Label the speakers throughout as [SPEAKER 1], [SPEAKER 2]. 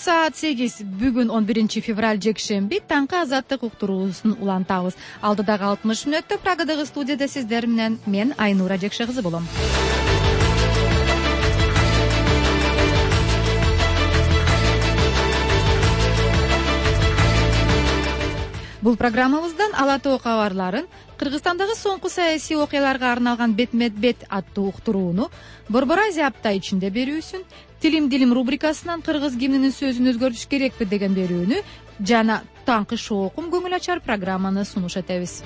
[SPEAKER 1] саат 8 бүгүн 11 февраль жекшемби таңкы азаттык уктуруусун улантабыз. Алдыдагы 60 мүнөттө Прагадагы студияда сиздер менен мен Айнура Жекше кызы болом. Бул программабыздан Ала Тоо кабарларын, Кыргызстандагы соңку саясий окуяларга арналган бетме-бет аттуу уктурууну, Борбор Азия апта ичинде берүүсүн, Тилим дилим рубрикасынан кыргыз гимнинин сөзүн өзгөртүш керекпи деген берүүнү жана таңкы шоокум көңүл ачар программаны сунуш этебиз.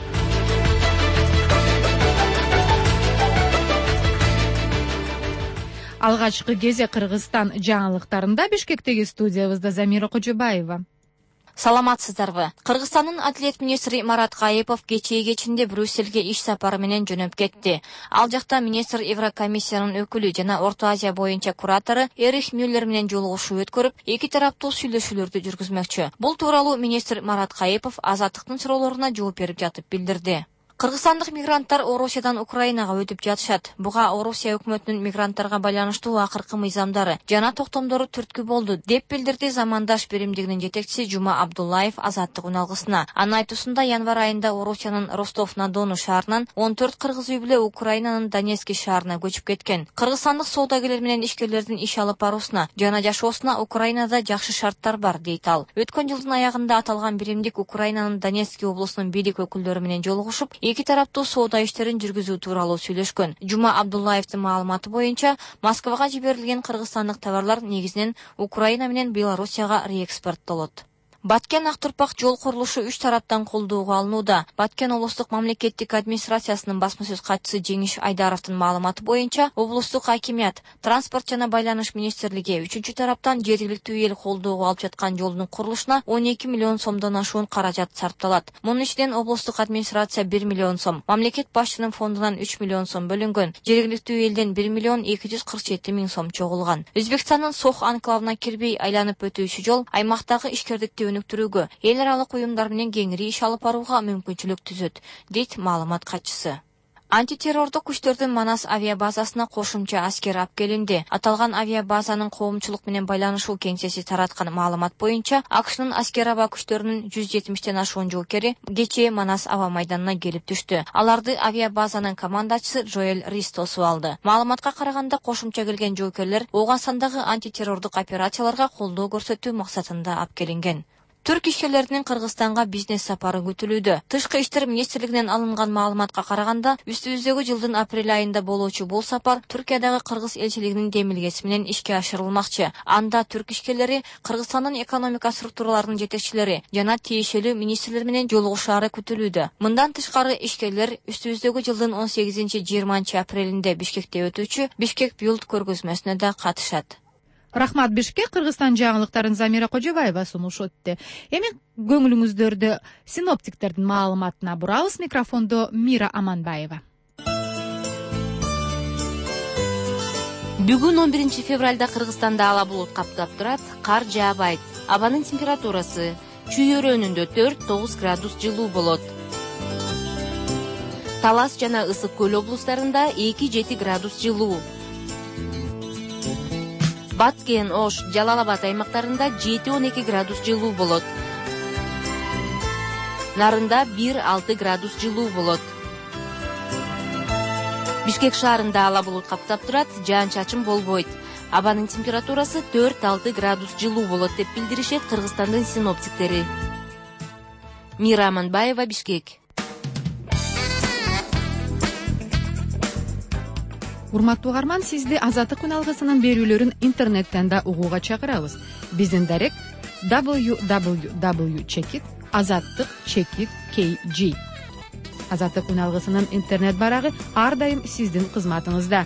[SPEAKER 1] Алгачкы кезек Кыргызстан жаңылыктарында Бишкектеги студиябызда Замира Кожобаева.
[SPEAKER 2] Саламатсыздарбы? Кыргызстандын Адилет министри Марат Кайыпов кечинде Брюссельге иш сапары менен жөнөп кетти. Ал жакта министр Еврокомиссиянын өкүлү жана Орто Азия боюнча куратору Эрих Мюллер менен жолугушуу өткөрүп, эки тараптуу сүйлөшүүлөрдү жүргүзмөкчү. Бул тууралуу министр Марат Кайыпов Азаттыктын суроолоруна жооп берип жатып билдирди. Кыргызстандык мигранттар Орусиядан Украинага өтүп жатышат. Буга Орусия өкмөтүнүн мигранттарга байланыштуу акыркы мыйзамдары жана токтомдору түрткү болду, деп билдирди замандаш биримдигинин жетекчиси Жума Абдуллаев Азаттык үналгысына. Анын айтуусунда январь айында Орусиянын Ростов-на-Дону шаарынан 14 кыргыз үй бүлө Украинанын Донецк шаарына көчүп кеткен. Кыргызстандык соодагерлер менен ишкерлердин иш алып баруусуна жана жашоосуна Украинада жакшы шарттар бар, дейт ал. Өткөн жылдын аягында аталган биримдик Украинанын Донецк облусунун бийлик өкүлдөрү менен жолугушуп, эки тараптуу соода иштерин жүргүзүү тууралуу сүйлөшкөн. Жума Абдуллаевдин маалыматы боюнча, Москвага жиберилген кыргызстандык товарлар негизинен Украина менен Белоруссияга реэкспорттолот. Баткен Актурпак жол курулушу 3 тараптан колдоого алынууда. Баткен облустук мамлекеттик администрациясынын басма сөз катчысы Жеңиш Айдаровдун маалыматы боюнча, облустук акимият, транспорт жана байланыш министрлиги 3-чү тараптан жергиликтүү эл колдоого алып жаткан жолдун курулушуна 12 миллион сомдон ашуун каражат сарпталат. Мунун ичинен облустук администрация 1 миллион сом, мамлекет башчынын фондунан 3 миллион сом бөлүнгөн, жергиликтүү элден 1 миллион 247 миң сом чогулган. Өзбекстандын Сох анклавына кирбей айланып өтүүчү жол аймактагы ишкердикти өнүктүрүүгө, эл аралык уюмдар менен кеңири иш алып барууга мүмкүнчүлүк түзөт, дейт маалымат катчысы. Антитеррордук күчтөрдүн Манас авиабазасына кошумча аскер алып келинди. Аталган авиабазанын коомчулук менен байланышуу кеңсеси тараткан маалымат боюнча, АКШнын аскер аба күчтөрүнүн 170тен ашуун жоокери кечээ Манас аба майданына келип түштү. Аларды авиабазанын командачысы Жоэл Рис тосуп алды. Маалыматка караганда, кошумча келген жоокерлер Ооганстандагы антитеррордук операцияларга колдоо көрсөтүү максатында алып келинген. Түрк ишкерлеринин Кыргызстанга бизнес сапары күтүлүүдө. Тышкы иштер министрлигинен алынган маалыматка караганда, үстүбүздөгү жылдын апрель айында болуучу бул сапар Түркиядагы кыргыз элчилигинин демилгеси менен ишке ашырылмакчы. Анда түрк ишкерлери Кыргызстандын экономика структураларынын жетекчилери жана тиешелүү министрлер менен жолугушаары күтүлүүдө. Мындан тышкары, ишкерлер үстүбүздөгү жылдын 18-20 апрелинде Бишкекте өтүүчү Бишкек Билд көргөзмөсүнө да катышат.
[SPEAKER 1] Рахмат. Бишкек Кыргызстан жаңылыктарын Замира Кожобаева сунуш өттү. Эми көңүлүңүздөрдү синоптиктердин маалыматына бурабыз. Микрофондо Мира Аманбаева.
[SPEAKER 2] Бүгүн 11 февралда Кыргызстанда ала булут каптап турат, кар жаабайт. Абанын температурасы чүйөрөнүндө 4-9 градус жылуу болот. Талас жана Ысык көл облустарында 2-7 градус жылуу. Баткен, Ош, Жалал-Абад аймактарында 7-12 градус жылуу болот. Нарында 1-6 градус жылуу болот. Бишкек шаарында ала булут каптап турат, жаан-чачын болбойт. Абанын температурасы 4-6 градус жылуу болот, деп билдиришет Кыргызстандын синоптиктери. Мира Аманбаева, Бишкек.
[SPEAKER 1] Урматтуу угарман, сизди Азаттык үналгысынын берүүлөрүн интернеттен да угууга чакырабыз. Биздин дарек www.azattik.kg. Азаттык үналгысынын интернет барагы ар дайым сиздин кызматыңызда.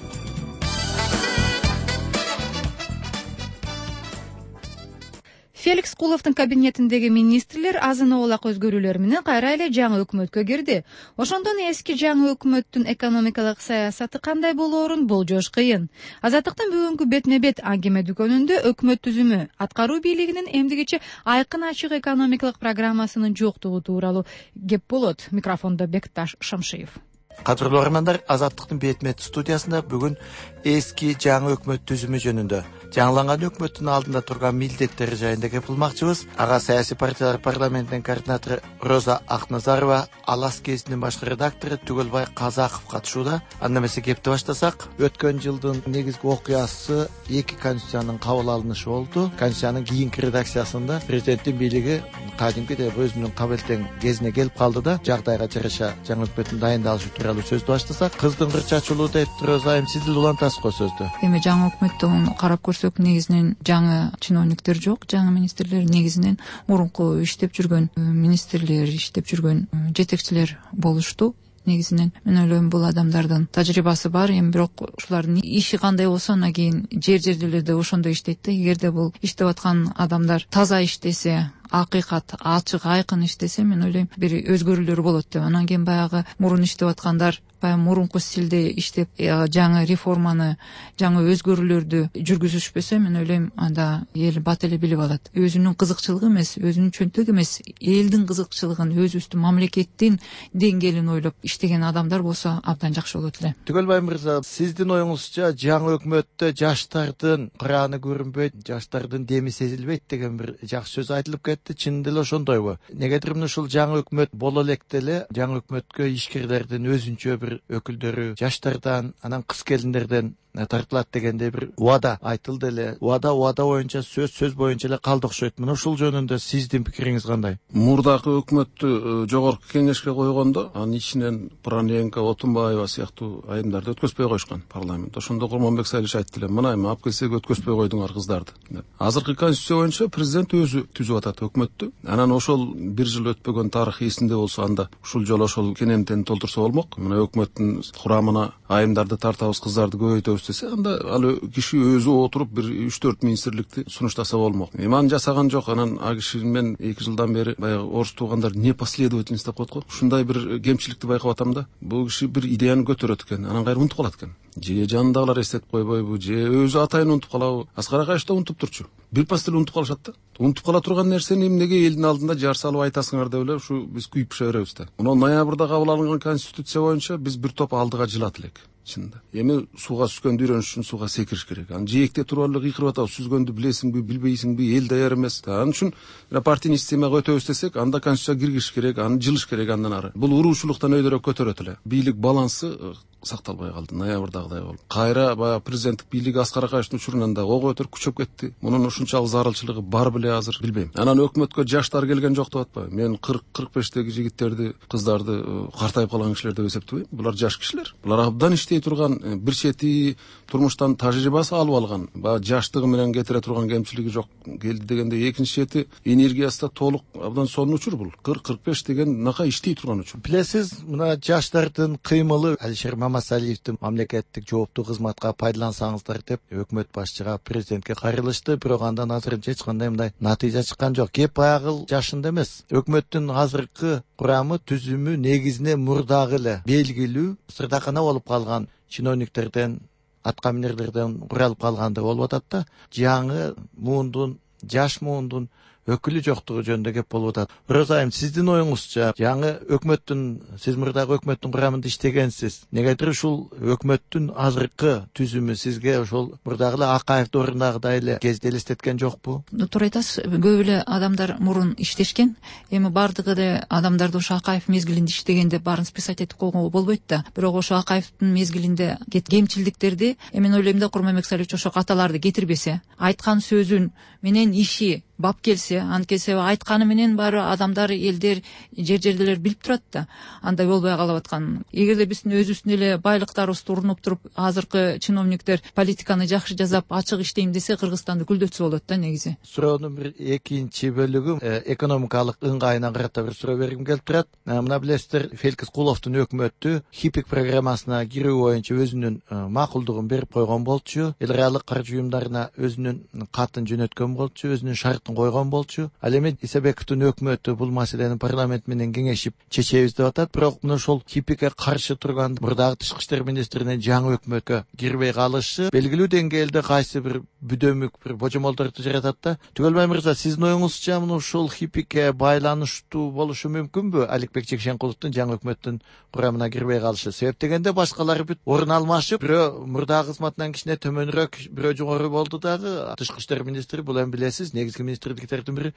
[SPEAKER 1] Феликс Куловдун кабинетиндеги министрлер азын-оолак өзгөрүүлөр менен кайра эле жаңы өкмөткө кирди. Ошондон эски жаңы өкмөттүн экономикалык саясаты кандай болоорун болжош кыйын. Азаттыктын бүгүнкү бетме-бет аңгеме дүкөнүндө өкмөт түзүмү, аткаруу бийлигинин эмдигиче айкын ачык экономикалык программасынын жоктугу тууралуу кеп болот. Микрофондо Бекташ Шамшиев.
[SPEAKER 3] Кадырлуу угармандар, Азаттыктын Бетмет студиясында бүгүн эски жаңы өкмөт түзүмү жөнүндө, жаңыланган өкмөттүн алдында турган милдеттери жайында кеп кылмакчыбыз. Ага саясий партиялар парламентинин координатору Роза Акназарова, Алас гезитинин башкы редактору Түгөлбай Казаков катышууда. Анда эмесе кепти баштасак, өткөн жылдын негизги окуясы эки конституциянын кабыл алынышы болду. Конституциянын кийинки редакциясында президенттин бийлиги кадимки деп өзүнүн кабылтең кезине келип калды да, жагдайга жараша жаңы өкмөттүн дайындалышы тууралуу сөздү баштасак, кыздын кырчы ачуулуу деп Роза эми сиз улантасыз го сөздү.
[SPEAKER 4] Эми жаңы өкмөттүн карап көрсөк, негизинен жаңы чиновниктер жок, жаңы министрлер негизинен мурунку иштеп жүргөн министрлер, иштеп жүргөн жетекчилер болушту. Негизинен мен ойлойм, бул адамдардын тажрыйбасы бар, эми бирок ушулардын иши кандай болсо, анан кийин жер-жерлерде ошондой иштейт да. Эгерде бул иштеп аткан адамдар таза иштесе, акыйкат, ачык, айкын иштесе, мен ойлойм бир өзгөрүүлөр болот деп. Анан кийин баягы мурун иштеп аткандар баягы мурунку стилде иштеп, жаңы реформаны, жаңы өзгөрүүлөрдү жүргүзүшпөсө, мен ойлойм анда эл бат эле билип алат. Өзүнүн кызыкчылыгы эмес, өзүнүн чөнтөгү эмес, элдин кызыкчылыгын, өзүбүздүн мамлекеттин деңгээлин ойлоп иштеген адамдар болсо абдан жакшы болот эле.
[SPEAKER 3] Түгөлбай мырза, сиздин оюңузча жаңы өкмөттө жаштардын кырааны көрүнбөйт, жаштардын деми сезилбейт деген бир жакшы сөз айтылып кетти. Чын деле ошондойбу? Негедир мына ушул жаңы өкмөт боло электе эле жаңы өкмөткө ишкерлердин өзүнчө бир өкүлдөрү, жаштардан, анан кыз келиндерден тартылат дегенде бир убада айтылды эле. Убада боюнча, сөз боюнча эле калды окшойт. Мына ушул жөнүндө сиздин пикириңиз кандай?
[SPEAKER 5] Мурдакы өкмөттү жогорку кеңешке койгондо, анын ичинен Праненко, Отунбаева сыяктуу айымдарды өткөзбөй койушкан парламент. Ошондо Курманбек Салиш айтты эле, мына эми алып келсек өткөзбөй койдуңар кыздарды. Азыркы конституция боюнча президент өзү түзүп атат өкмөттү. Анан ошол бир жыл өтпөгөн тарых эсинде болсо, анда ушул жолу ошол кенемтени толтурса болмок. Мына өкмөттүн курамына айымдарды тартабыз, кыздарды көбөйтөбүз десе, анда ал киши өзү отуруп бир 3-4 министрликти сунуштаса болмок. Эми аны жасаган жок. Анан а киши мен 2 жылдан бери баягы орус туугандар непоследовательность деп коет го. Ушундай бир кемчиликти байкап атам да. Бул киши бир идеяны көтөрөт экен, анан кайра унутуп калат экен. Же жанындагылар эстетип койбойбу, же өзү атайын унутуп калабы? Аскар Акаевич да унутуп турчу. Бир пас деле унутуп калышат да. Унутуп кала турган нерсени эмнеге элдин алдында жар салып айтасыңар деп эле ушу биз күйүп пыша беребиз да. Мына ноябрда кабыл алынган конституция боюнча биз бир топ алдыга жылат элек. Чынында. Эми сууга сүзгөндү үйрөнүш үчүн сууга секириш керек. Аны жээкте туруп эле кыйкырып атабыз. Сүзгөндү билесиңби, билбейсиңби, эл даяр эмес. Анын үчүн партийный системага өтөбүз десек, анда конституция киргизиш керек, аны жылыш керек андан ары. Бул уруушулуктан өйдөрөөк көтөрөт эле. Бийлик балансы сакталбай калды, ноябрдагыдай болуп. Кайра баягы президенттик бийлиги Аскар Акаевичтин учурунан да ого өтөр күчөп кетти. Мунун ушунчалык зарылчылыгы бар беле азыр, билбейм. Анан өкмөткө жаштар келген жок деп атпайбы? Мен 40-45теги жигиттерди, кыздарды картайып калган кишилер деп эсептебейм. Булар жаш кишилер. Булар абдан иштей турган, бир чети турмуштан тажрыйбасы алып алган, баягы жаштыгы менен кетире турган кемчилиги жок келди дегенде, экинчи чети энергиясы да толук абдан сонун учур бул. 40-45 деген нака иштей турган учур.
[SPEAKER 3] Билесиз, мына жаштардын кыймылы Алишер Мамасалиевдин мамлекеттик жооптуу кызматка пайдалансаңыздар деп өкмөт башчыга, президентке кайрылышты, бирок андан азырынча эч кандай мындай натыйжа чыккан жок. Кеп баягы жашында эмес. Өкмөттүн азыркы курамы, түзүмү негизинен мурдагы эле белгилүү сырдакана болуп калган чиновниктерден, аткаминерлерден куралып калгандай болуп атат да. Жаңы муундун, жаш муундун өкүлү жоктугу жөнүндө кеп болуп атат. Роза айым, сиздин оюңузча, жаңы өкмөттүн, сиз мурдагы өкмөттүн курамында иштегенсиз. Негедир ушул өкмөттүн азыркы түзүмү сизге ошол мурдагы эле Акаев доорунагыдай эле кезде элестеткен жокпу?
[SPEAKER 4] Туура айтасыз, көп эле адамдар мурун иштешкен. Эми бардыгы эле адамдарды ошо Акаев мезгилинде иштегенде баарын списать этип койгонго болбойт да. Бирок ошо Акаевдин мезгилинде кемчилдиктерди, мен ойлойм да, Курманбек Салиевич ошо каталарды кетирбесе, айткан сөзүн менен иши бап келсе, анткесе айтканы менен баары адамдар, элдер, жер-жерделер билип турат да. Андай болбой калып аткан. Эгерде биздин өзүбүздүн эле байлыктарыбызды урунуп туруп, азыркы чиновниктер политиканы жакшы жасап, ачык иштейм десе, Кыргызстанды гүлдөтсө болот да негизи.
[SPEAKER 3] Суроонун бир экинчи бөлүгү экономикалык ыңгайына карата бир суроо бергим келип турат. Мына билесиздер, Феликс Куловдун өкмөтү ХИПИК программасына кирүү боюнча өзүнүн макулдугун берип койгон болчу. Эл реалдык каржы уюмдарына өзүнүн катын жөнөткөн болчу, өзүнүн шарт сыяктын койгон болчу. Ал эми Исабековдун өкмөтү бул маселени парламент менен кеңешип чечебиз деп атат. Бирок мына ошол ХИПИКке каршы турган мурдагы тышкы иштер министринин жаңы өкмөткө кирбей калышы белгилүү деңгээлде кайсы бир бүдөмүк бир божомолдорду жаратат да. Түгөлбай мырза, сиздин оюңузча мына ушул ХИПИКке байланыштуу болушу мүмкүнбү? Аликбек Жекшенкуловдун жаңы өкмөттүн курамына кирбей калышы себеп дегенде башкалары бүт орун алмашып, бирөө мурдагы кызматынан кичине төмөнүрөөк, бирөө жогору болду дагы. Тышкы иштер министри бул эми билесиз, негизги министрликтердин бири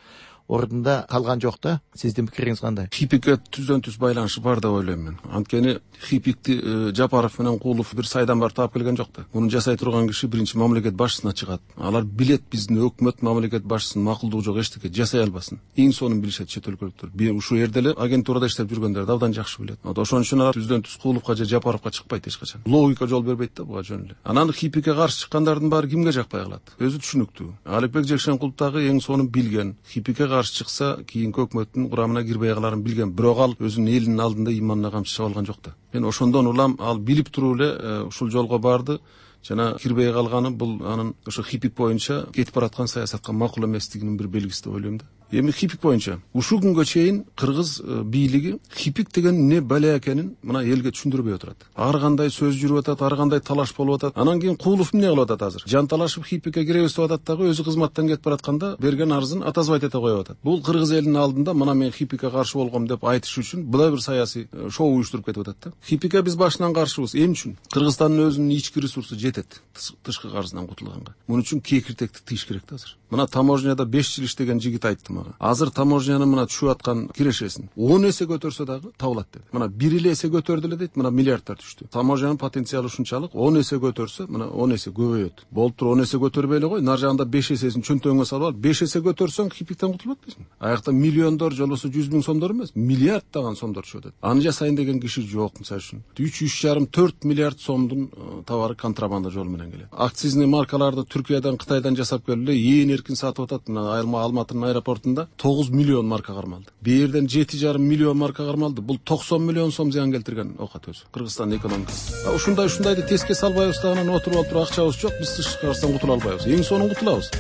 [SPEAKER 3] ордунда калган жок да. Сиздин пикириңиз кандай?
[SPEAKER 5] ХИПИКке түздөн түз байланышы бар деп ойлойм мен. Анткени ХИПИКти Жапаров менен Кулов бир сайдан бар таап келген жок да. Муну жасай турган киши биринчи мамлекет башчысына чыгат. Алар билет биздин өкмөт мамлекет башчысынын макулдугу жок эчтеке жасай албасын. Эң сонун билишет чет өлкөлүктөр. Ушул жерде эле агентурада иштеп жүргөндөр да абдан жакшы билет. Ошон үчүн алар түздөн түз Куловго же Жапаровго чыкпайт эч качан. Логика жол бербейт да буга жөн эле. Анан ХИПИКке каршы чыккандардын баары кимге жакпай калат? Өзү түшүнүктүү. Аликбек Жекшенкулов дагы эң сонун билген. ХИПИКке каршы чыкса кийинки өкмөттүн курамына кирбей каларын билген. Бирок ал өзүнүн элинин алдында иманына камчы чаба алган жок да. Мен ошондон улам ал билип туруп эле ушул жолго барды. Жана кирбей калганы бул анын ошо ХИПИК боюнча кетип бараткан саясатка макул эместигинин бир белгиси деп ойлойм да. Эми ХИПИК боюнча ушул күнгө чейин кыргыз бийлиги ХИПИК деген эмне бала экенин мына элге түшүндүрбөй отурат. Ар кандай сөз жүрүп атат, ар кандай талаш болуп атат. Анан кийин Кулов эмне кылып атат азыр? Жанталашып ХИПИКке киребиз деп атат дагы өзү кызматтан кетип баратканда берген арызын атазбайт эте коюп атат. Бул кыргыз элинин алдында мына мен ХИПИКке каршы болгом деп айтыш үчүн буда бир саясий шоу уюштуруп кетип атат да. ХИПИКке биз башынан каршыбыз. Эмне үчүн? Кыргызстандын өзүнүн ички ресурсу жетет тышкы карыздан кутулганга. Муну үчүн кекиртекти тийиш керек да азыр. Мына таможняда 5 жыл иштеген жигит айтты мага. Азыр таможняны мына түшүп аткан кирешесин 10 эсе көтөрсө дагы табылат деди. Мына 1 эле эсе көтөрдү эле дейт, мына миллиардтар түштү. Таможнянын потенциалы ушунчалык, 10 эсе көтөрсө, мына 10 эсе көбөйөт. Болуп туруп 10 эсе көтөрбөй эле кой, нар жагында 5 эсесин чөнтөгүңө салып ал, 5 эсе көтөрсөң ХИПИКтен кутулуп атпайсың. Аякта миллиондор же болбосо 100 миң сомдор эмес, миллиарддаган сомдор түшүп атат. Аны жасайын деген киши жок, мисалы үчүн. 3,5-4 миллиард сомдун товары контрабанда жолу менен келет. Акцизный маркаларды Түркиядан, Кытайдан жасап келип эле ээн эркин сатып атат. Мына Алматынын аэропортунда 9 миллион марка кармалды. Бээрден 7,5 миллион марка кармалды. Бул 90 миллион сом зыян келтирген окат өзү. Кыргызстандын экономикасы. Ушундайды теске салбайбыз да анан отуруп алып акчабыз жок, биз тышкы карыздан кутула албайбыз. Эң сонун кутулабыз.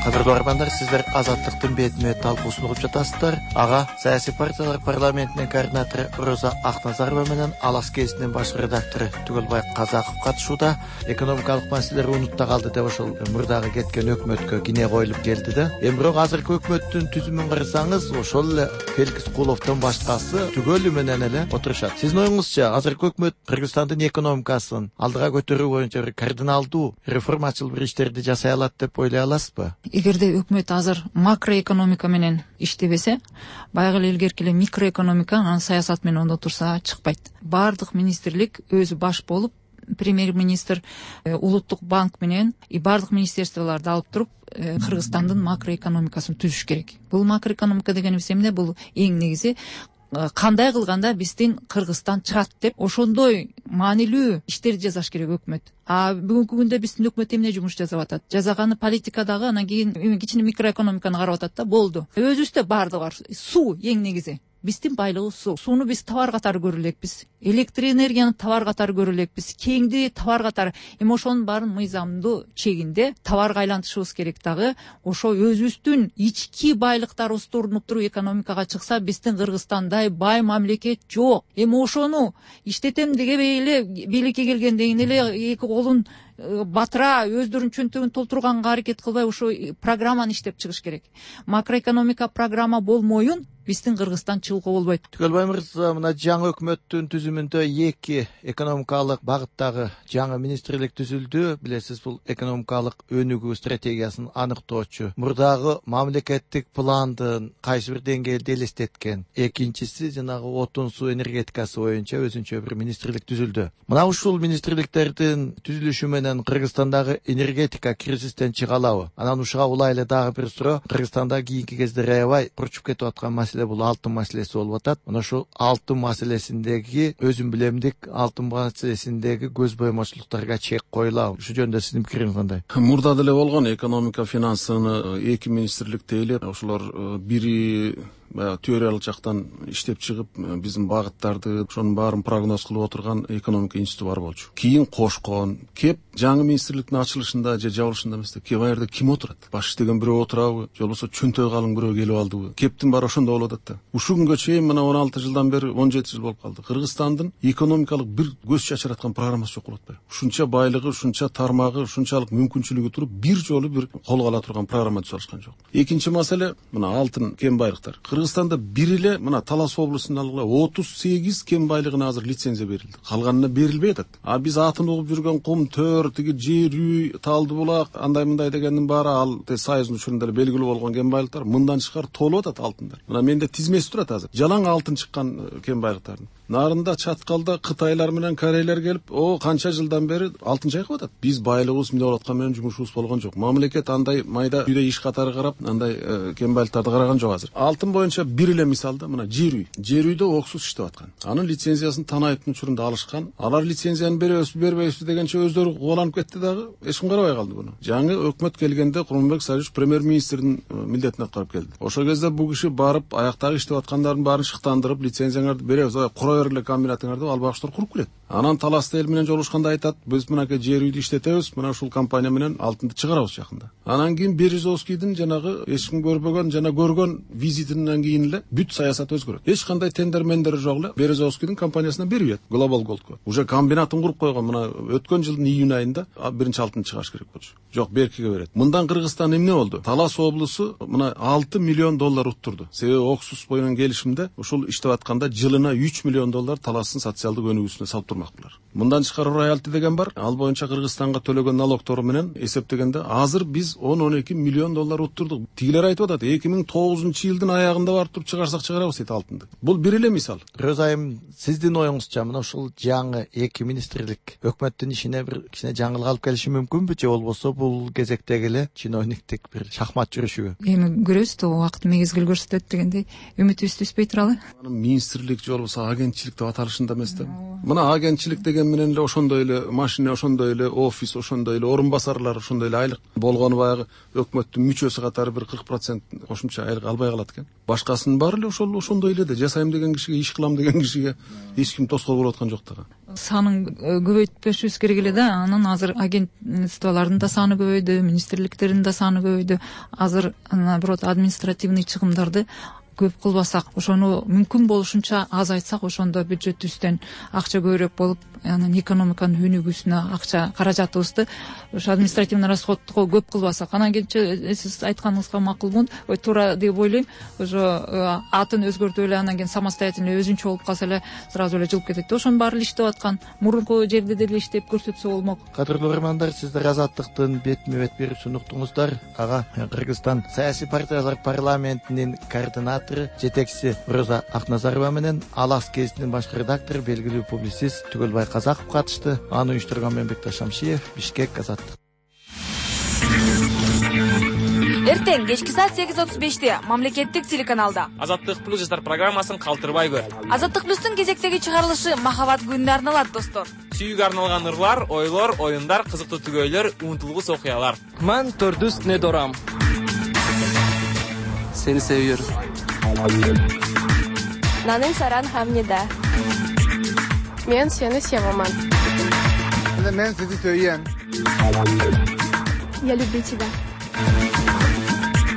[SPEAKER 3] Кадырлуу арбандар, сиздер Азаттыктын бетме талкуусун угуп жатасыздар. Ага саясий партиялар парламентинин координатору Роза Акназарова менен Алас гезитинин баш редактору Түгөлбай Казаков катышууда. Экономикалык маселелер унутта калды деп ошол мурдагы кеткен өкмөткө кине коюлуп келди да. Эми бирок азыркы өкмөттүн түзүмүн карасаңыз, ошол эле Феликс Куловдон башкасы түгөлү менен эле отурушат. Сиздин оюңузча, азыркы өкмөт Кыргызстандын экономикасын алдыга көтөрүү боюнча бир кардиналдуу реформачыл бир иштерди жасай алат деп ойлой аласызбы?
[SPEAKER 4] Эгерде өкмөт азыр макроэкономика менен иштебесе, баягы эле илгерки эле микроэкономика анын саясат менен ондо турса чыкпайт. Бардык министрлик өзү баш болуп, премьер-министр, улуттук банк менен бардык министерстволорду алып туруп Кыргызстандын макроэкономикасын түзүш керек. Бул макроэкономика дегенибиз эмне? Бул эң негизи кандай кылганда биздин Кыргызстан чыгат деп ошондой маанилүү иштерди жасаш керек өкмөт. Бүгүнкү күндө биздин өкмөт эмне жумуш жасап атат? Жасаганы политикадагы, анан кийин кичине микроэкономиканы карап атат да, болду. Өзүбүздө баардыгы бар. Суу эң негизи. Биздин байлыгыбыз суу. Сууну биз товар катары көрө элекпиз. Электр энергияны товар катары көрө элекпиз. Кеңди товар катары. Эми ошонун баарын мыйзамдуу чегинде товарга айлантышыбыз керек дагы. Ошо өзүбүздүн ички байлыктарыбызды урнуп туруп экономикага чыкса, биздин Кыргызстандай бай мамлекет жок. Эми ошону иштетем дегебей эле бийликке келгенден эле эки колун батыра өздөрүнүн чөнтөгүн толтурганга аракет кылбай ошо программаны иштеп чыгыш керек. Макроэкономика программа болмоюн биздин Кыргызстан чыгууга болбойт.
[SPEAKER 3] Түгөлбай мырза, мына жаңы өкмөттүн түзүмүндө 2 экономикалык багыттагы жаңы министрлик түзүлдү. Билесиз, бул экономикалык өнүгүү стратегиясын аныктоочу мурдагы мамлекеттик пландын кайсы бир деңгээлде элестеткен. Экинчиси жанагы отун суу энергетикасы боюнча өзүнчө бир министрлик түзүлдү. Мына ушул министрликтердин түзүлүшү менен Кыргызстандагы энергетика кризистен чыга алабы? Анан ушуга улайлы дагы бир суроо. Кыргызстанда кийинки кезде аябай урчуп кетип аткан маселе бул алтын маселеси болуп атат. Мына ушул алтын маселесиндеги өзүм билемдик алтын маселесиндеги көз боймочулуктарга чек коюлабы? Ушу жөнүндө сиздин пикириңиз кандай?
[SPEAKER 5] Мурда деле болгон экономика финансыны 2 министрликте эле ошолор бири баягы теориялык жактан иштеп чыгып, биздин багыттарды, ошонун баарын прогноз кылып отурган экономика институту бар болчу. Кийин кошкон, кеп жаңы министрликтин ачылышында же жабылышында эмес, кеп аерде ким отурат? Баш иштеген бирөө отурабы, же болбосо чөнтөй калың бирөө келип алдыбы? Кептин баары ошондо болуп атат да. Ушул күнгө чейин мына 16 жылдан бери 17 жыл болуп калды. Кыргызстандын экономикалык бир көз чачыраткан программасы жок болуп атпайбы? Ушунча байлыгы, ушунча тармагы, ушунчалык мүмкүнчүлүгү туруп бир жолу бир колго ала турган программа түзүп алышкан жок. Экинчи маселе мына алтын кен байлыктар. Кыргызстанда бир эле мына Талас облусунун алгыла 38 кен байлыгына азыр лицензия берилди. Калганына берилбей атат. А биз атын угуп жүргөн кум төр, тиги жер үй, Талды булак, андай мындай дегендин баары ал Союздун учурунда эле белгилүү болгон кен байлыктар мындан тышкары толуп атат алтындар. Мына менде тизмеси турат азыр. Жалаң алтын чыккан кен байлыктардын. Нарында, Чаткалда Кытайлар менен Корейлер келип, канча жылдан бери алтын чайкап атат. Биз байлыгыбыз мындай болуп аткан менен жумушубуз болгон жок. Мамлекет андай майда үйдө иш катары карап, андай кен байлыктарды караган жок азыр. Алтын боюнча бир эле мисалда мына жер үй. Жер үйдө оксуз иштеп аткан. Анын лицензиясын Танаевдин учурунда алышкан. Алар лицензияны беребизби, бербейбизби дегенче өздөрү кубаланып кетти дагы, эч ким карабай калды буну. Жаңы өкмөт келгенде Курманбек Сарыевич премьер-министрдин милдетин аткарып келди. Ошол кезде бул киши барып аяктагы иштеп аткандардын баарын шыктандырып, лицензияңарды беребиз, кура бергиле комбинатыңарды деп албагыштар куруп келет. Анан Таласта эл менен жолугушканда айтат, биз мынакей жер үйдү иштетебиз, мына ушул компания менен алтынды чыгарабыз жакында. Анан кийин Березовскийдин жанагы эч ким көрбөгөн жана көргөн визитинен кийин эле бүт саясат өзгөрөт. Эч кандай тендер жок эле Березовскийдин компаниясына берилет. Global Gold'го. Уже комбинатын куруп койгон. Мына өткөн жылдын июнь айында биринчи алтын чыгарыш керек болчу. Жок, Беркиге берет. Мындан Кыргызстан эмне болду? Талас облусу мына 6 миллион доллар уттурду. Себеби оксуз менен келишимде ушул иштеп атканда жылына 3 миллион доллар Таластын социалдык өнүгүүсүнө салып турмакчылар. Мындан тышкары роялти деген бар. Ал боюнча Кыргызстанга төлөгөн налогтору менен эсептегенде азыр биз 10-12 миллион доллар уттурдук. Тигилер айтып атат, 2009-жылдын аягында барып туруп чыгарсак чыгарабыз дейт алтынды. Бул бир эле мисал.
[SPEAKER 3] Роза айым, сиздин оюңузча мына ушул жаңы эки министрлик өкмөттүн ишине бир кичине жаңылык алып келиши мүмкүнбү, же болбосо бул кезектеги эле чиновниктик бир шахмат жүрүшүбү?
[SPEAKER 4] Эми көрөбүз да, убакыт мезгил көрсөтөт дегендей үмүтүбүздү үзбөй туралы.
[SPEAKER 5] Министрлик же болбосо агентчилик деп аталышында эмес да. Мына агентчилик деген менен эле ошондой эле машина, ошондой эле офис, ошондой эле орун басарлар, ошондой эле айлык болгону баягы өкмөттүн мүчөсү катары бир 40% кошумча айлык албай калат экен. Башкасынын баары эле ошондой эле да. Жасайм деген кишиге, иш кылам деген кишиге эч ким тоскоол болуп аткан жок да.
[SPEAKER 4] Санын көбөйтпөшүбүз керек эле да. Анан азыр агентстволордун да саны көбөйдү, министрликтердин да саны көбөйдү. Азыр наоборот административный чыгымдарды көп кылбасак, ошону мүмкүн болушунча азайтсак, ошондо бюджетибизден акча көбүрөөк болуп, анан экономиканын өнүгүүсүнө акча каражатыбызды ошо административный расходго көп кылбасак, анан кийинче сиз айтканыңызга макулмун, туура деп ойлойм. Ошо атын өзгөртүп эле анан кийин самостоятельный өзүнчө болуп калса эле сразу эле жылып кетет. Ошонун баары эле иштеп аткан, мурунку жерде деле иштеп көрсөтсө болмок.
[SPEAKER 3] Кадырлуу угармандар, сиздер Азаттыктын бетме-бет берүүсүн уктуңуздар. Ага Кыргызстан саясий партиялар парламентинин координатору, жетекчиси Роза Акназарова менен Алас гезитинин башкы редактору, белгилүү публицист Түгөлбай Казаков катышты. Аны уюштурган Мембекташ Шамшиев, Бишкек, Азаттык.
[SPEAKER 6] Эртең кечки саат 8:35-те мамлекеттик телеканалда
[SPEAKER 7] Азаттык плюс жаштар программасын калтырбай көр.
[SPEAKER 6] Азаттык плюстун кезектеги чыгарылышы Махабат күнүнө арналат, достор.
[SPEAKER 7] Сүйүүгө арналган ырлар, ойлор, оюндар, кызыктуу түгөйлөр, унутулгус окуялар.
[SPEAKER 8] Мен Төрдүс Недорам. Сени seviyorum.
[SPEAKER 9] Nanen Saran Hamnida. Men seni sevaman.
[SPEAKER 10] Men sizi söyleyeyim.
[SPEAKER 9] Я люблю тебя.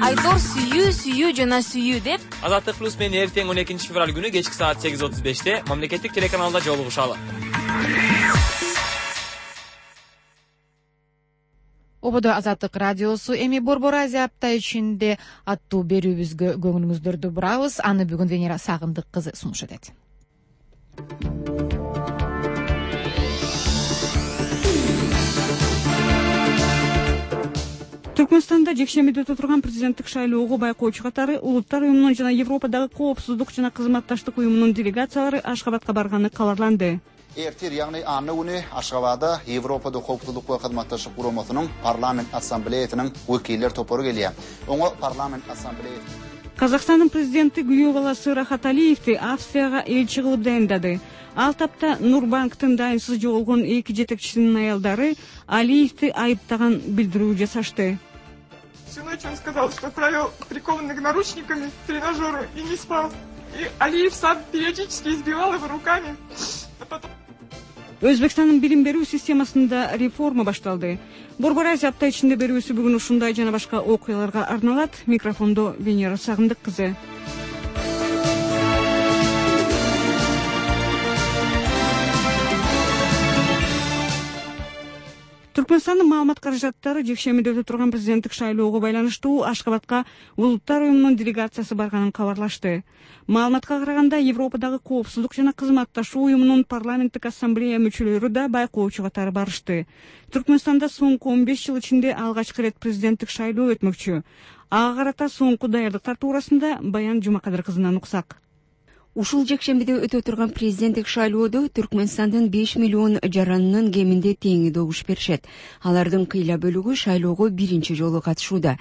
[SPEAKER 6] Айтор сүйүү жана сүйүү деп
[SPEAKER 7] Азаттык плюс менен эртең 12-февраль күнү кечки саат 8:35-те мамлекеттик телеканалда жолугушалы.
[SPEAKER 1] Ободо Азаттык радиосу эми Борбор Азия апта ичинде аттуу берүүбүзгө көңүлүңүздөрдү бурабыз. Аны бүгүн Венера Сагындык кызы сунуш этет.
[SPEAKER 11] Түркмөнстанда жекшембиде өтө турган президенттик шайлоого байкоочу катары Улуттар уюмунун жана Европадагы коопсуздук жана кызматташтык уюмунун делегациялары Ашгабадка барганы кабарланды.
[SPEAKER 12] Эртер, ягни аны күнү Ашгабадда Европада коопсуздук ва кызматташтык уюмунун парламент ассамблеясынын векилдер топору келе. Оңо парламент ассамблеясы
[SPEAKER 11] Казакстандын президенти күйөө баласы Рахат Алиевди Австрияга элчи кылып дайындады. Ал тапта Нурбанктын дайынсыз жоголгон эки жетекчисинин аялдары Алиевди айыптаган билдирүү жасашты.
[SPEAKER 13] Всю ночь он сказал, что провел прикованных наручниками к тренажеру и не спал. И Алиев сам периодически избивал его руками.
[SPEAKER 11] Өзбекстандын билим берүү системасында реформа башталды. Борбор Азия апта ичинде берүүсү бүгүн ушундай жана башка окуяларга арналат. Микрофондо Венера Сагындык кызы. Түркмөнстандын маалымат каражаттары жекшемиде өтө турган президенттик шайлоого байланыштуу Ашкабадка Улуттар уюмунун делегациясы барганын кабарлашты. Маалыматка караганда Европадагы коопсуздук жана кызматташуу уюмунун парламенттик ассамблея мүчөлөрү да байкоочу катары барышты. Түркмөнстанда соңку 15 жыл ичинде алгачкы ирет президенттик шайлоо өтмөкчү. Ага карата соңку даярдыктар туурасында Баян Жумакадыр кызынан уксак.
[SPEAKER 14] Ушул жекшембиде өтө турган президенттик шайлоодо Түркмөнстандын 5 миллион жаранынын кеминде теңи добуш беришет. Алардын кыйла бөлүгү шайлоого биринчи жолу катышууда.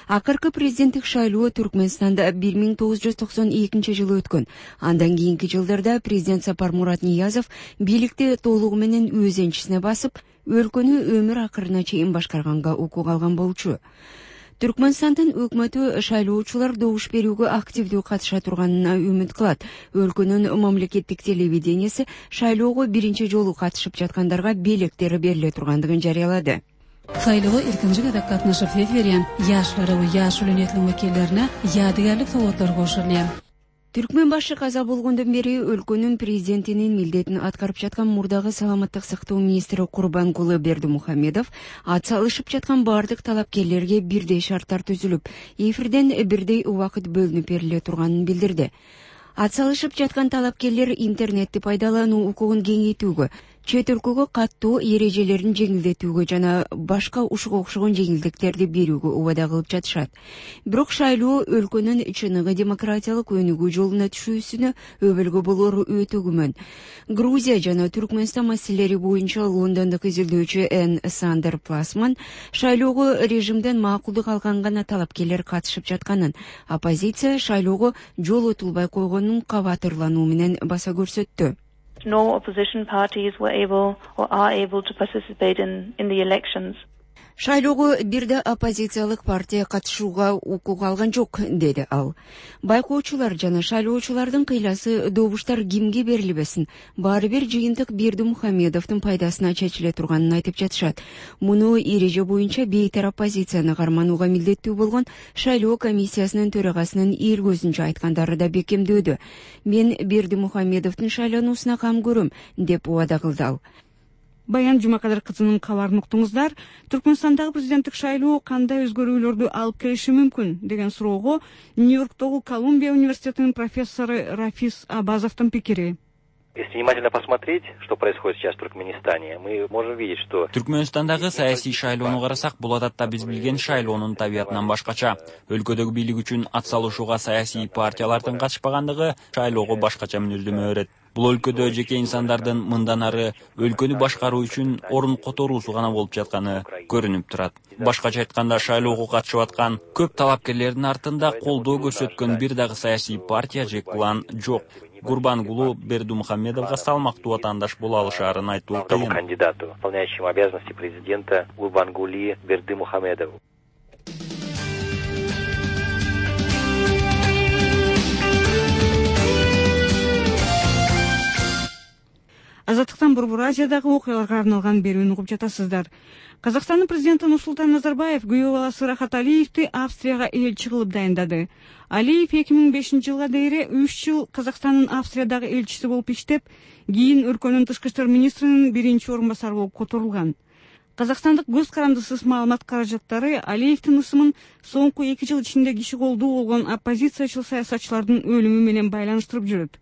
[SPEAKER 14] Акыркы президенттик шайлоо Түркмөнстанда 1992 жылы өткөн. Андан кийинки жылдарда президент Сапар Мурат Ниязов бийликти толугу менен өз энчисине басып, өлкөнү өмүр акырына чейин башкарганга укук алган болчу. Түркмөнстандын өкмөтү шайлоочулар добуш берүүгө активдүү катыша турганына үмүт кылат. Өлкөнүн мамлекеттик телевиденияси шайлоого биринчи жолу катышып жаткандарга белектери бериле тургандыгын жарыялады.
[SPEAKER 15] Шайлоого эркинчи катар катнашып берген жаштары жаш үлөнөтүнүн векилдерине ядыгарлык сооттор кошулду.
[SPEAKER 14] Түркмөн башы каза болгондон бери өлкөнүн президентинин милдетин аткарып жаткан мурдагы саламаттык сактоо министри Курбангулы Бердимухамедов ат салышып жаткан бардык талапкерлерге бирдей шарттар түзүлүп, эфирден бирдей убакыт бөлүнүп бериле турганын билдирди. Ат салышып жаткан талапкерлер интернетти пайдалануу укугун кеңейтүүгө, чет өлкөгө каттуу эрежелерин жеңилдетүүгө жана башка ушуга окшогон жеңилдиктерди берүүгө убада кылып жатышат. Бирок шайлоо өлкөнүн чыныгы демократиялык өнүгүү жолуна түшүүсүнө өбөлгө болору өтө күмөн. Грузия жана Түркмөнстан маселелери боюнча Лондондук изилдөөчү Н. Сандер Пласман шайлоого режимден макулдук алган гана талапкерлер катышып жатканын, оппозиция шайлоого жол отулбай койгонун кабатырлануу менен баса көрсөттү.
[SPEAKER 16] No opposition parties were able or are able to participate in the elections.
[SPEAKER 14] Шайлоого бирде оппозициялык партия катышууга укук алган жок, деди ал. Байкоочулар жана шайлоочулардын кыйласы добуштар кимге берилбесин, баары бир жыйынтык Бердимухамедовдун пайдасына чечиле турганын айтып жатышат. Муну эреже боюнча бейтар оппозицияны карманууга милдеттүү болгон шайлоо комиссиясынын төрагасынын эл көзүнчө айткандары да бекемдөөдө. Мен Бердимухамедовдун шайлануусуна кам көрөм, деп убада кылды ал.
[SPEAKER 11] Баян Жумакадыр кызынын кабарын уктуңуздар. Түркмөнстандагы президенттик шайлоо кандай өзгөрүүлөрдү алып келиши мүмкүн деген суроого Нью-Йорктогу Колумбия университетинин профессору Рафис Абазовдун пикири.
[SPEAKER 17] Если внимательно посмотреть, что происходит сейчас в Туркменистане, мы можем видеть, что
[SPEAKER 18] Түркмөнстандагы саясий шайлоону карасак, бул адатта биз билген шайлоонун табиятынан башкача. Өлкөдөгү бийлик үчүн ат салышууга саясий партиялардын катышпагандыгы шайлоого башкача мүнөздөмө берет. Бул өлкөдө жеке инсандардын мындан ары өлкөнү башкаруу үчүн орун которуусу гана болуп жатканы көрүнүп турат. Башкача айтканда, шайлоого катышып аткан көп талапкерлердин артында колдоо көрсөткөн бир дагы саясий партия же клан жок. Гурбангулу Бердимухамедовго салмактуу атаандаш боло алышаарын айтуу кыйын.
[SPEAKER 17] Кандидату, выполняющему обязанности президента Гурбангули Бердимухамедову.
[SPEAKER 11] Азаттыктан Борбор Азиядагы окуяларга арналган берүүнү угуп жатасыздар. Казакстандын президенти Нурсултан Назарбаев күйөө баласы Рахат Алиевди Австрияга элчи кылып дайындады. Алиев 2005 жылга дейре 3 жыл Казакстандын Австриядагы элчиси болуп иштеп, кийин өлкөнүн тышкы иштер министринин биринчи орун басары болуп которулган. Казакстандык көз карандысыз маалымат каражаттары Алиевдин ысымын соңку 2 жыл ичинде киши колдуу болгон оппозициячыл саясатчылардын өлүмү менен байланыштырып жүрөт.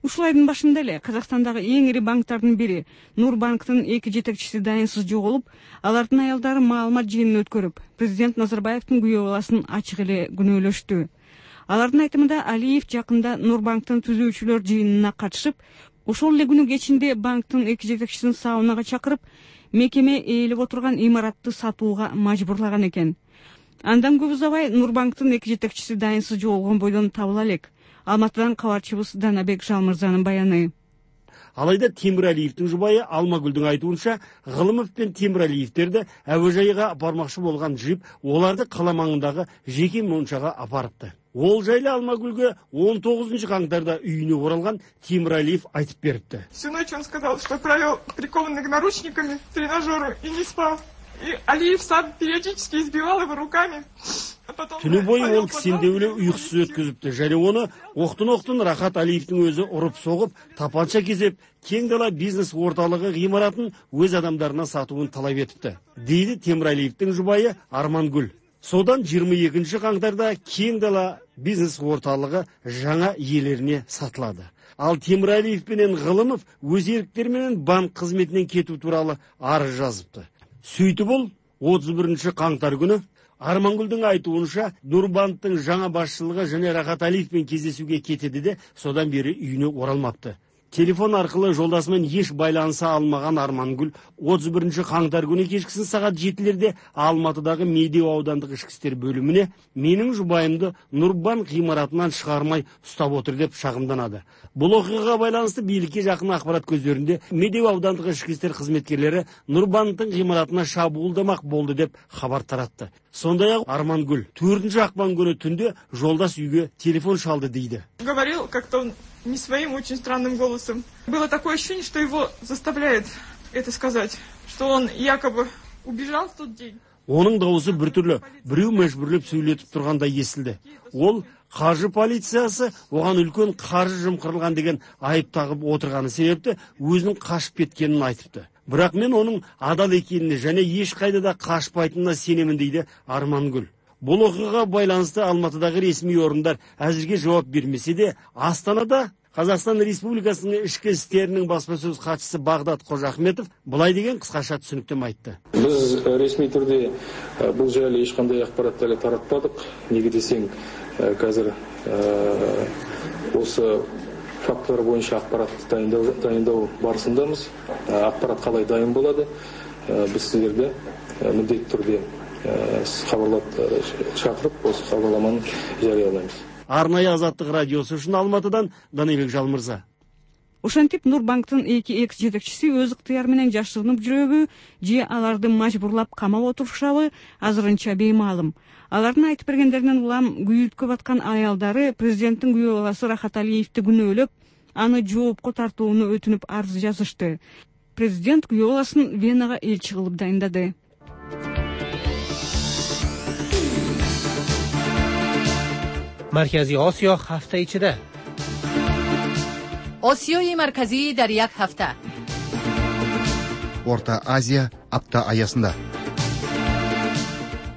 [SPEAKER 11] Ушул айдын башында эле Казакстандагы эң ири банктардын бири Нурбанктын 2 жетекчиси дайынсыз жоголуп, алардын аялдары маалымат жыйынын өткөрүп, президент Назарбаевдин күйөө баласын ачык эле күнөөлөштү. Алардын айтымында Алиев жакында Нурбанктын түзүүчүлөр жыйынына катышып, ошол эле күнү кечинде банктын 2 жетекчисин саунага чакырып, мекеме ээлеп отурган имаратты сатууга мажбурлаган экен. Андан көп узабай Нурбанктын 2 жетекчиси дайынсыз жоголгон бойдон табыла элек. Алматыдан кабарчыбыз Данабек Жалмырзанын баяны.
[SPEAKER 19] Алайда Темиралиевдин жубайы Алмагүлдүн айтуунча, Гылымов пен Темиралиевтерди әуежайга апармакчы болгон джип оларды кала маңындагы жеке мончага апарыпты. Ол жайлы Алмагүлгө 19 каңтарда үйүнө оралган Темиралиев айтып берипти.
[SPEAKER 13] Всю ночь он сказал, что провел прикованный наручниками в тренажеру и не спал. И Алиев сам периодически избивал его руками.
[SPEAKER 19] Түнү бою ол кисинде эле уйкусуз өткөзүптү. Және оны октун Рахат Алиевдин өзү уруп согуп, тапанча кезеп, кең дала бизнес орталыгы гыймаратын өз адамдарына сатуун талап этипти, дейди Темиралиевдин жубайы Армангүл. Содан 22 каңтарда кең дала бизнес орталыгы жаңа иелерине сатылады. Ал Темиралиев менен Гылымов өз эрктери менен банк кызметинен кетүү тууралуу арыз жазыпты. Сөйтүп ол 31 каңтар күнү Армангүлдүн айтуунча Нурбанктын жаңа башчылыгы және Рахат Алиевпен кездесүүгө кетеди де, содан бери үйүнө оралмапты. Телефон аркылуу жолдасымен еш байланыса алмаган Армангүл 31 каңтар күнү кечкисин саат 7-лерде Алматыдагы Медеу аудандык ички иштер бөлүмүнө менин жубайымды Нурбанк гыймаратынан чыгармай уштап отур деп шагымданады. Бул окуяга байланыштуу бийликке жакын акпарат көздөрүндө Медеу аудандык ички иштер кызметкерлери Нурбанктын гыймаратына шабуылдамак болду деп кабар таратты. Сондай ак Армангүл 4-акпан күнү түндө жолдас үйгө телефон шалды дейди.
[SPEAKER 13] Говорил как-то он не своим очень странным голосом. Было такое ощущение, что его заставляет это сказать, что он якобы убежал в тот день.
[SPEAKER 19] Onun дауысы бір түрлі, біреу мәжбүрлеп сөйлетіп тұрғандай естілді. Ол қаржы полициясы оған үлкен қаржы жымқырылған деген айып тағып отырғаны себепті өзінің қашып кеткенін айтыпты. Бірақ мен оның адал екеніне және еш қайда да қашпайтынына сенемін дейді Армангүл. Бұл оқиғаға байланысты Алматыдағы ресми орындар әзірге жауап бермесе де, Астанада Қазақстан Республикасының ішкі істерінің баспасөз хатшысы Бағдат Қожахметов былай деген қысқаша түсініктеме айтты.
[SPEAKER 20] Біз ресми түрде бұл жайлы ешқандай ақпараттарды таратпадық. Неге десең, қазір осы фактылар бойынша ақпарат дайындау барысындамыз. Ақпарат қалай дайын болады? Біз сіздерді міндетті түрде хабарлап шақырып, осы хабарламаны жариялаймыз.
[SPEAKER 19] Арнайы Азаттык радиосу үчүн Алматыдан Данилбек Жалмырза.
[SPEAKER 11] Ошентип Нурбанктын эки экс-жетекчиси өз ыктыяры менен жашырынып жүрөбү, же аларды мажбурлап камап отурушабы азырынча беймаалым. Алардын айтып бергендеринен улам күйүткө баткан аялдары президенттин күйөө баласы Рахат Алиевди күнөөлөп, аны жоопко тартууну өтүнүп арыз жазышты. Президент күйөө баласын Венага элчи кылып дайындады.
[SPEAKER 21] مرکزی آسیا هفته ایچده
[SPEAKER 22] آسیای مرکزی در یک هفته
[SPEAKER 23] Орта Азия апта аясында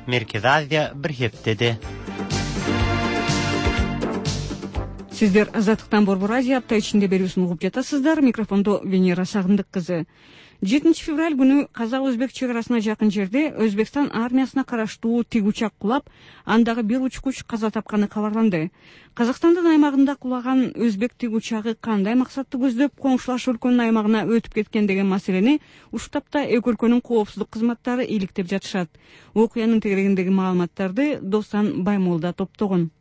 [SPEAKER 21] Merkez Азия bir heftede
[SPEAKER 11] Сиздер Азаттыктан Борбор Азия апта ичинде берүүсүн угуп жатасыздар. Микрофондо Венера Сагындык кызы. 7 февраль күнү Казак-Өзбек чек арасына жакын жерде Өзбекстан армиясына караштуу тик учак кулап, андагы бир учкуч каза тапканы кабарланды. Казакстандын аймагында кулаган Өзбек тик учагы кандай максатты көздөп коңшулаш өлкөнүн аймагына өтүп кеткен деген маселени ушул тапта эки өлкөнүн коопсуздук кызматтары иликтеп жатышат. Окуянын тегерегиндеги маалыматтарды Достан Баймолда топтогон.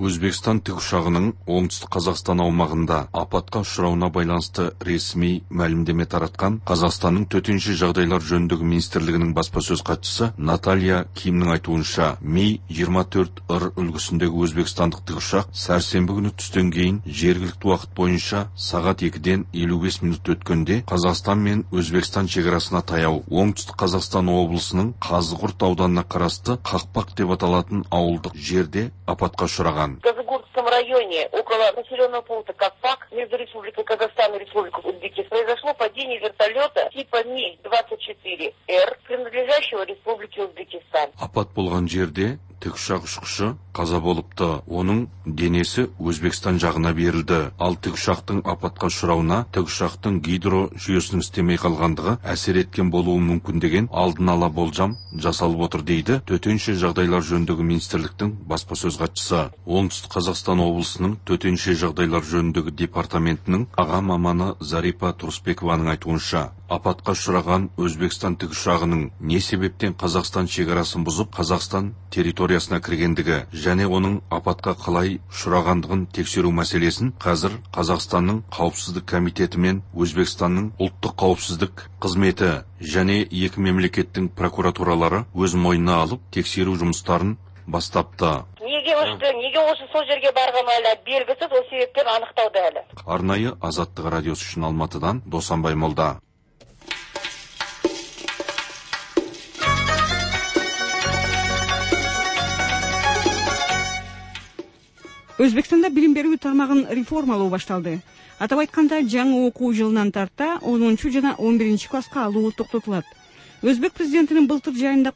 [SPEAKER 24] Өзбекстан тікұшағының оңтүстік Қазақстан аумағында апатқа ұшырауына байланысты ресми мәлімдеме таратқан Қазақстанның төтенше жағдайлар жөніндегі министрлігінің баспасөз хатшысы Наталья Кимнің айтуынша, Ми-24-р үлгісіндегі өзбекстандық тікұшақ сәрсенбі күні түстен кейін жергілікті уақыт бойынша сағат 2-ден 55 минут өткенде Қазақстан мен Өзбекстан шекарасына таяу оңтүстік Қазақстан облысының Қазығұрт ауданына қарасты Қақпақ деп аталатын ауылдық жерде апатқа ұшыраған.
[SPEAKER 25] В Казагуртском районе, около населенного пункта Капак, между Республикой Казахстан и Республикой Узбекистан, произошло падение вертолета типа Ми-24Р, принадлежащего Республике Узбекистан.
[SPEAKER 24] Апат болған жерде тікұшақ ұшқышы қаза болыпты. Оның денесі Өзбекстан жағына берілді. Ал тікұшақтың апатқа ұшырауына тікұшақтың гидро жүйесінің істемей қалғандығы әсер еткен болуы мүмкін деген алдын ала болжам жасалып отыр дейді төтенше жағдайлар жөніндегі министрліктің баспасөз хатшысы. Оңтүстік Қазақстан облысының төтенше жағдайлар жөніндегі департаментінің аға маманы Зарипа Турсбекованың айтуынша, апатка учураган Өзбекстан тикушагынын не себептен Казакстан чегарасын бузуп, Казакстан территориясына киргендиги жана онун апатка калай учурагандыгын текшерүү маселесин азыр Казакстандын Коопсуздук комитети менен Өзбекстандын улуттук коопсуздук кызмети жана эки мемлекеттин прокуратуралары өз мойнуна алып, текшерүү жумуштарын бастапты.
[SPEAKER 25] Неге ошо сол жерге барган эле белгисиз, ол себептен аныктоодо эле.
[SPEAKER 24] Арнайы Азаттык радиосу үчүн Алматыдан Досанбай Молда.
[SPEAKER 11] Өзбекстанда билим берүү тармагын реформалоо башталды. Атап айтканда, жаңы окуу жылынан тарта 10 жана 11 класска алуу токтотулат. Өзбек президентинин былтыр жайында